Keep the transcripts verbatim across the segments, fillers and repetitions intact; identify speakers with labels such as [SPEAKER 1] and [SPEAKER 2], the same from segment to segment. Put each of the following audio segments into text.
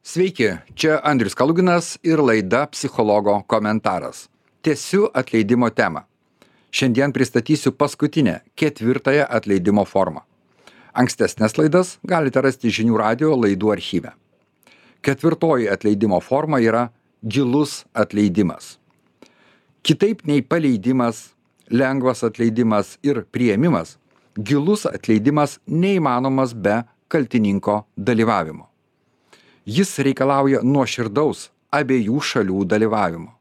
[SPEAKER 1] Sveiki, čia Andrius Kaluginas ir laida Psichologo komentaras. Tęsiu atleidimo temą. Šiandien pristatysiu paskutinę, ketvirtąją atleidimo formą. Ankstesnės laidas galite rasti žinių radijo laidų archyve. Ketvirtoji atleidimo forma yra gilus atleidimas. Kitaip nei paleidimas, lengvas atleidimas ir priėmimas, gilus atleidimas neįmanomas be kaltininko dalyvavimo. Jis reikalauja nuoširdaus abiejų šalių dalyvavimo.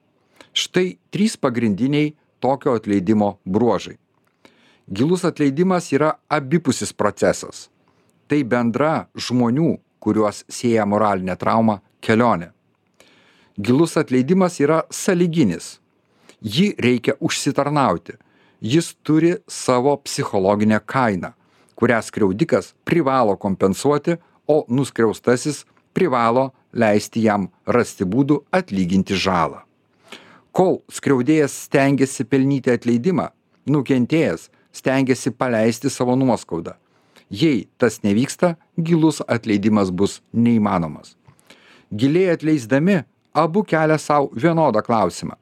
[SPEAKER 1] Štai trys pagrindiniai tokio atleidimo bruožai. Gilus atleidimas yra abipusis procesas. Tai bendra žmonių, kuriuos sieja moralinė trauma, kelionė. Gilus atleidimas yra sąlyginis. Jį reikia užsitarnauti. Jis turi savo psichologinę kainą, kurią skriaudikas privalo kompensuoti, o nuskriaustasis privalo leisti jam rasti būdų atlyginti žalą. Kol skriaudėjas stengiasi pelnyti atleidimą, nukentėjęs stengiasi paleisti savo nuoskaudą. Jei tas nevyksta, gilus atleidimas bus neįmanomas. Giliai atleisdami, abu kelia savo vienodą klausimą.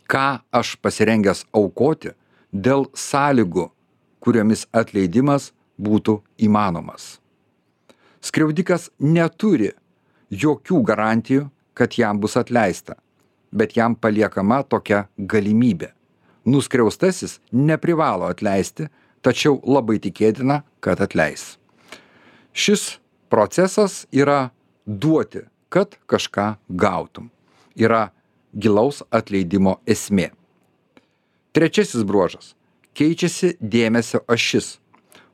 [SPEAKER 1] Ką aš pasirengęs aukoti dėl sąlygų, kuriomis atleidimas būtų įmanomas? Skriaudikas neturi jokių garantijų, kad jam bus atleista, bet jam paliekama tokia galimybė. Nuskriaustasis neprivalo atleisti, tačiau labai tikėtina, kad atleis. Šis procesas yra duoti, kad kažką gautum. Yra gilaus atleidimo esmė. Trečiasis bruožas. Keičiasi dėmesio ašis.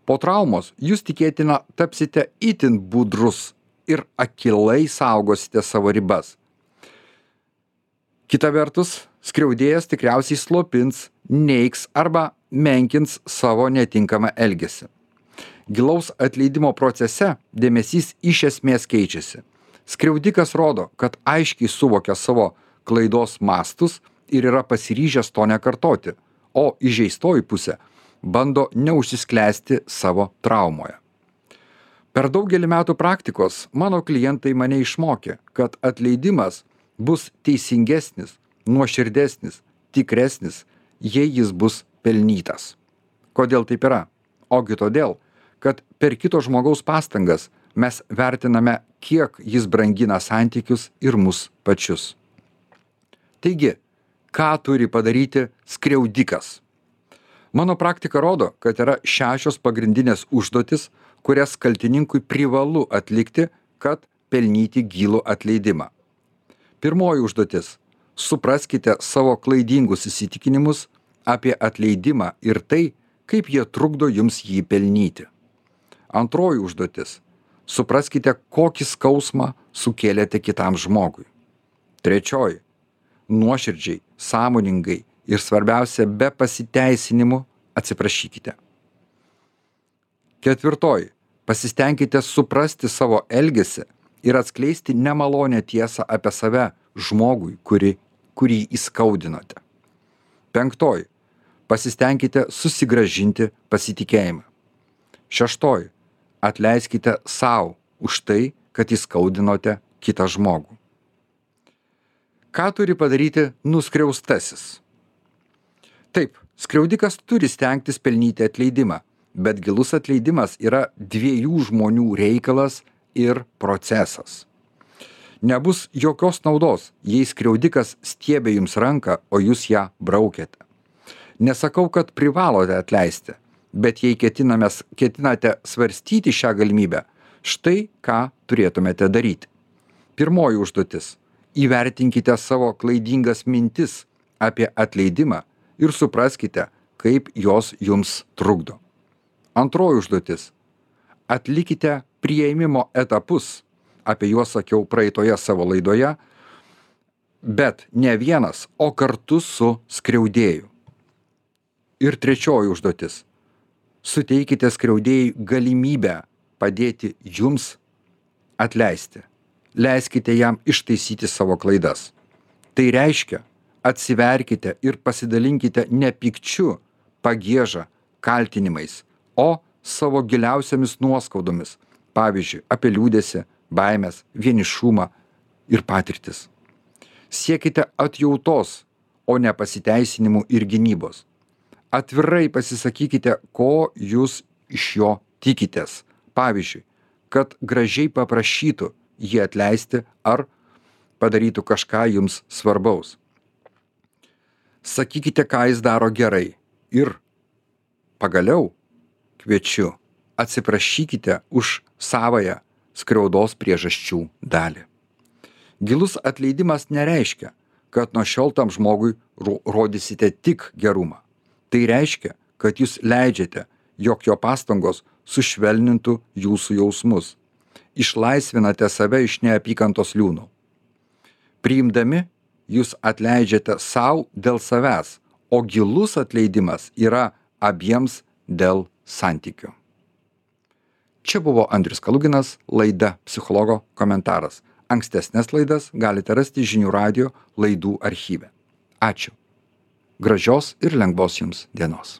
[SPEAKER 1] Po traumos jūs tikėtina tapsite itin budrus ir akylai saugosite savo ribas. Kita vertus, skriaudėjas tikriausiai slopins, neigs arba menkins savo netinkamą elgesį. Gilaus atleidimo procese dėmesys iš esmės keičiasi. Skriaudikas rodo, kad aiškiai suvokia savo klaidos mastus ir yra pasiryžęs to nekartoti, o įžeistoji pusė bando neužsisklęsti savo traumoje. Per daugelį metų praktikos mano klientai mane išmokė, kad atleidimas bus teisingesnis, nuoširdesnis, tikresnis, jei jis bus pelnytas. Kodėl taip yra? Ogi todėl, kad per kito žmogaus pastangas mes vertiname, kiek jis brangina santykius ir mus pačius. Taigi, ką turi padaryti skriaudikas? Mano praktika rodo, kad yra šešios pagrindinės užduotis, kurias kaltininkui privalu atlikti, kad pelnyti gilų atleidimą. Pirmoji užduotis. Supraskite savo klaidingus įsitikinimus apie atleidimą ir tai, kaip jie trukdo jums jį pelnyti. Antroji užduotis. Supraskite, kokį skausmą sukėlėte kitam žmogui. Trečioji. Nuoširdžiai, sąmoningai ir svarbiausia, be pasiteisinimų atsiprašykite. Ketvirtoji. Pasistengkite suprasti savo elgesį ir atskleisti nemalonę tiesą apie save žmogui, kuri, kurį įskaudinote. Penktoji. Pasistengkite susigrąžinti pasitikėjimą. Šeštoji. Atleiskite sau už tai, kad įskaudinote kitą žmogų. Ką turi padaryti nuskriaustasis? Taip, skriaudikas turi stengtis pelnyti atleidimą, bet gilus atleidimas yra dviejų žmonių reikalas ir procesas. Nebus jokios naudos, jei skriaudikas stiebia jums ranką, o jūs ją braukiate. Nesakau, kad privalote atleisti, bet jei ketinamės, ketinate svarstyti šią galimybę, štai ką turėtumėte daryti. Pirmoji užduotis. Įvertinkite savo klaidingas mintis apie atleidimą ir supraskite, kaip jos jums trukdo. Antroji užduotis. Atlikite priėmimo etapus, apie juos sakiau praeitoje savo laidoje, bet ne vienas, o kartu su skriaudėju. Ir trečioji užduotis. Suteikite skriaudėjui galimybę padėti jums atleisti. Leiskite jam ištaisyti savo klaidas. Tai reiškia, atsiverkite ir pasidalinkite ne pykčiu, pagieža, kaltinimais, o savo giliausiamis nuoskaudomis, pavyzdžiui, apie liūdėsį, baimės, vienišumą ir patirtis. Siekite atjautos, o ne pasiteisinimų ir gynybos. Atvirai pasisakykite, ko jūs iš jo tikitės. Pavyzdžiui, kad gražiai paprašytų jį atleisti ar padarytų kažką jums svarbaus. Sakykite, ką jis daro gerai ir pagaliau kviečiu, atsiprašykite už savąją skriaudos priežasčių dalį. Gilus atleidimas nereiškia, kad nuo šiol tam žmogui rodysite tik gerumą. Tai reiškia, kad jūs leidžiate, jog jo pastangos sušvelnintų jūsų jausmus. Išlaisvinate save iš neapykantos liūnų. Priimdami, jūs atleidžiate sau dėl savęs, o gilus atleidimas yra abiems dėl santykių. Čia buvo Andrius Kaluginas, laida Psichologo komentaras. Ankstesnės laidas galite rasti Žinių radijo laidų archyve. Ačiū. Gražios ir lengvos jums dienos.